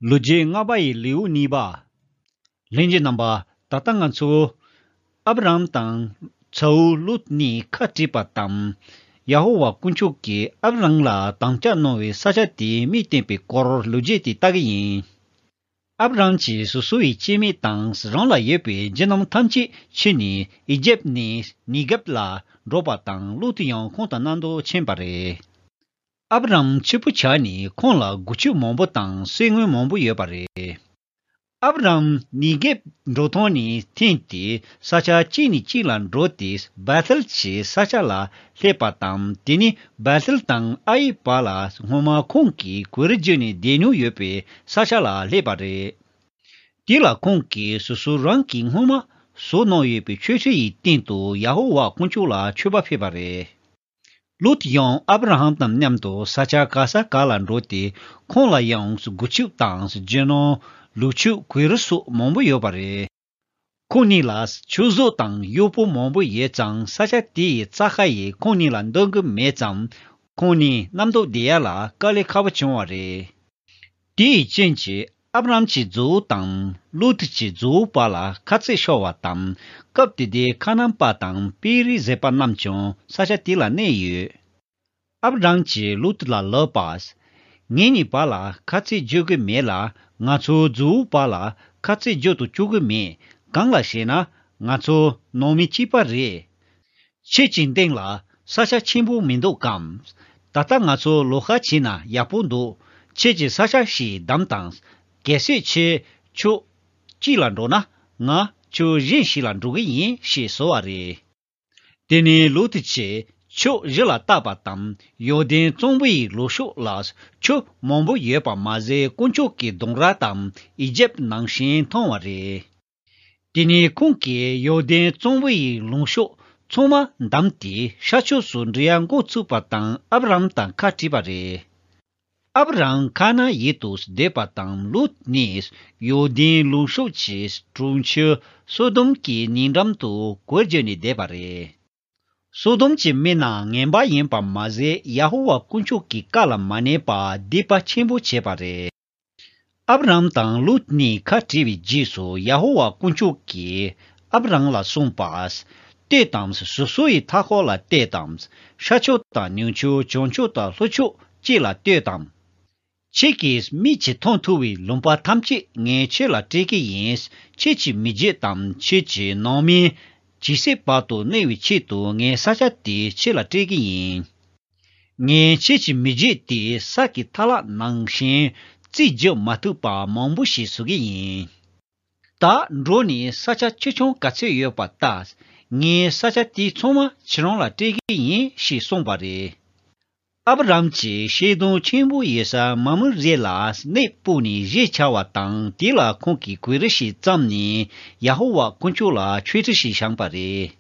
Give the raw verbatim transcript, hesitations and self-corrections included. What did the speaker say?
ལོ་རྒྱུས་ལྔ་པ་ཡི་ལེའུ་གཉིས་པ། ལྷན་རྒྱས་རྣམ་པ། ད་ལྟ་ང་ཚོ་ཨབ་རམ་དང་ཚ་བོ་ལུད་གཉིས་ཁ་བྲིས་པ་དང་། ཡ་ཧོ་ཝཱ་དཀོན་མཆོག་གིས་ཨབ་རམ་ལ་དམ་བཅའ་གནང་བའི་ས་ཆ་དེའི་མིང་བསྟན་པའི་སྐོར་ལོ་རྒྱུས་དེ་ལྟ་གི་ཡིན། ཨབ་རམ་གྱིས་སོ་སོ་ཡི་སྐྱེ་དམན་དང་རང་ལ་ཡོད་པའི་རྒྱུ་ནོམ་ཐམས་ཅད་ཁྱེར་ནས་ཨི་ཇེབ་ནས་ནི་གེབ་ལ་འགྲོ་བ་དང་། ལུད་ཡང་ཁོང་དང་མཉམ་དུ་ཕྱིན་པ་རེད། ཨབ་རམ་ཕྱུག་པོ་ཆགས་ནས་ཁོང་ལ་སྒོ་ཕྱུགས་མང་པོ་དང་སྲན་ངོས་མང་པོ་ཡོད་པ་རེད། ཨབ་རམ་ནི་གེབ་འགྲོ་སྟངས་ནས་འཐེན་ཏེ་ས་ཆ་གཅིག་ནས་གཅིག་ལ་འགྲོ་སྟེ་བེ་ཐེལ་གྱི་ས་ཆ་ལ་སླེབས་པ་དང་། དེ་ནས་བེ་ཐེལ་དང་ཨ་ཡི་བར་ལ་སྔོན་མ་ཁོང་གིས་གོས་རི་བརྗིད་ནས་བསྡད་མྱོང་ཡོད་པའི་ས་ཆ་ལ་སླེབས་པ་རེད། དེ་ལ་ཁོང་གིས་སོ་སོ་རང་གིས་སྔོན་མ་བཟོ་གནང་ཡོད་པའི་མཆོད་ཁྲི་ཡི་སྟེང་དུ་ཡ་ཧོ་ཝཱ་དཀོན་མཆོག་ལ་མཆོད་པ་ཕུལ་བ་རེད། ལུད་ཡང་ཨབ་ར་ཧམ་དང་མཉམ་དུ་ས་ཆ་ག་ས་ག་ལ་འགྲོ་སྟེ་ཁོང་ལ་ཡང་སྒོ་ཕྱུགས་དང་རྒྱུ་ནོམ། ལུག་ཁྱུ། གོས་རི་སོགས་མང་པོ་ཡོད་པ་རེད། ཁོང་གཉིས་ལ་ཁྱུ་གཟུགས་དང་གཡོག་པོ་མང་པོ་ཡོད་ཙང་ས་ཆ་དེ་ཡི་རྩྭ་ཁ་ཡིས་ཁོང་གཉིས་ལ་འདང་གི་མེད་ཙང་། ཁོང་གཉིས་མཉམ་དུ་བསྡད་ཡ་ལ་དཀའ་ལས་ཁག་པོ་བྱུང་བ་རེད། དེའི་རྐྱེན་གྱིས་ཨབ་རམ་གྱི་རྫོགས་དང་ལུད་གྱི་རྫོགས་བར་ལ་ཁ་ཚིག་ཤོར་བ་དང་། སྐབས་དེ་དུས་ཁ་ནན་པ་དང་པེ་རི་ཟེར་པ་རྣམས་ཀྱང་ས་ཆ་དེ་ལ་གནས་ཡོད། ཨབ་རམ་གྱིས་ལུད་ལ་ལབ་པ། ངེད་གཉིས་བར་ལ་ཁ་ཚིག་རྒྱག་གི་མེད་ལ། ང་ཚོའི་རྫོགས་བར་ལ་ཁ་ཚིག་རྒྱག་ཏུ་བཅུག་གི་མེད། གང་ལ་ཞེ་ན། ང་ཚོ་ནང་མི་གཅིག་པ་རེད། ཁྱེད་ཀྱི་སྟེང་ལ་ས་ཆ་ཆེན་པོ་མི་འདུག་གམ། ད་ལྟ་ང་ཚོ་ལོགས་ཀ་བྱས་ན་ཡག་པོ་འདུག་ཁྱེད་ཀྱིས་ས་ཆ་ཞིག་བདམས་དང་། གལ་སྲིད་ཁྱེད་ཕྱོགས་གཅིག་ལ་འགྲོ་ན། ང་ཕྱོགས་གཞན་ཞིག་ལ་འགྲོ་གི་ཡིན་ཞེས་ཟེར་བ་རེད། དེ་ནས་ལུད་གྱིས་ཕྱོགས་བཞི་ལ་བལྟས་པ་དང་། ཡོར་དན་གཙང་པོ་ཡི་ལུང་ཕྱོགས་ལ་ཁྱུ་མང་པོ་ཡོད་པ་མ་ཟད་དཀོན་མཆོག་གི་གདུང་ར་དང་ཨི་ཇེབ་ནང་བཞིན་མཐོང་བ་རེད། དེ་ནས་ཁོང་གིས་ཡོར་དན་གཙང་པོ་ཡི་ལུང་ཕྱོགས་ཚང་མ་བདམས་ཏེ་ཤར་ཕྱོགས་སུ་འགྲོ་ཡ་འགོ་ཚུགས་པ་དང་ཨབ་རམ་དང་ཁ་བྲིས་པ་རེད། ཨབ་རམ་ཁ་ན་ཡུལ་དུ་བསྡད་པ་དང་ལུད་ནི་ཡོར་དན་ལུང་ཕྱོགས་ཀྱི་གྲོང་ཁྱེར་སོ་དོམ་གྱི་ཉེ་འགྲམ་དུ་གོས་གྱོན་ནས་བསྡད་པ་རེད། སོ་དོམ་གྱི་མི་རྣམས་ངན་པ་ཡིན་པ་མ་ཟད་ཡ་ཧོ་ཝཱ་དཀོན་མཆོག་གི་བཀའ་ལ་མ་ཉན་པར་སྡིག་པ་ཆེན་པོ་བྱས་པ་རེད། ཨབ་རམ་དང་ལུད་གཉིས་ཁ་བྲལ་བའི་རྗེས་སུ་ཡ་ཧོ་ཝཱ་དཀོན་མཆོག་གིས་ཨབ་རམ་ལ་གསུངས་པ། ལྟོས་དང་། སོ་སོ་ཡི་མཐའ་འཁོར་ལ་ལྟོས་དང་། ཤར་ཕྱོགས་དང་ནུབ་ཕྱོགས། བྱང་ཕྱོགས་དང་ལྷོ་ཕྱོགས་བཅས་ལ་ལྟོས་དང་། ཁྱེད་ཀྱིས་མིག་གིས་མཐོང་ཐུབ་པའི་ལུང་པ་ཐམས་ཅད་ངས་ཁྱེད་ལ་སྤྲད་ཀྱི་ཡིན། ཁྱེད་ཀྱི་མི་རྒྱུད་དང་ཁྱེད་ཀྱི་ནང་མི་ཇི་སྲིད་བར་དུ་གནས་པའི་ཆེད་དུ་ངས་ས་ཆ་དེ་ཁྱེད་ལ་སྤྲད་ཀྱི་ཡིན། ངས་ཁྱེད་ཀྱི་མི་རྒྱུད་དེ་ས་གི་མཐའ་ལག་ནང་བཞིན་རྩིས་རྒྱག་མ་ཐུབ་པ་མང་པོ་ཞིག་བཟོ་གི་ཡིན། ད་འགྲོ་ནས་ས་ཆ་ཆེ་ཆུང་ག་ཚོད་ཡོད་པ་ལྟ། ངས་ས་ཆ་དེ་ཚང་མ་ཁྱེད་རང་ལ་སྤྲད་ཀྱི་ཡིན་ཞེས་གསུངས་པ་རེད། ཨབ་རམ་གྱིས་ཤིང་སྡོང་ཆེན་པོ་ཡོད་ས་མ་མུ་རེ་ལ་གནས་སྤོས་ནས་གཞིས་ཆགས་པ་དང་། དེ་ལ་ཁོང་གིས་གོས་རི་ཞིག་བརྩམས་ནས་ཡ་ཧོ་ཝཱ་དཀོན་མཆོག་ལ་མཆོད་ཁྲི་ཞིག་བཞེངས་པ་རེད།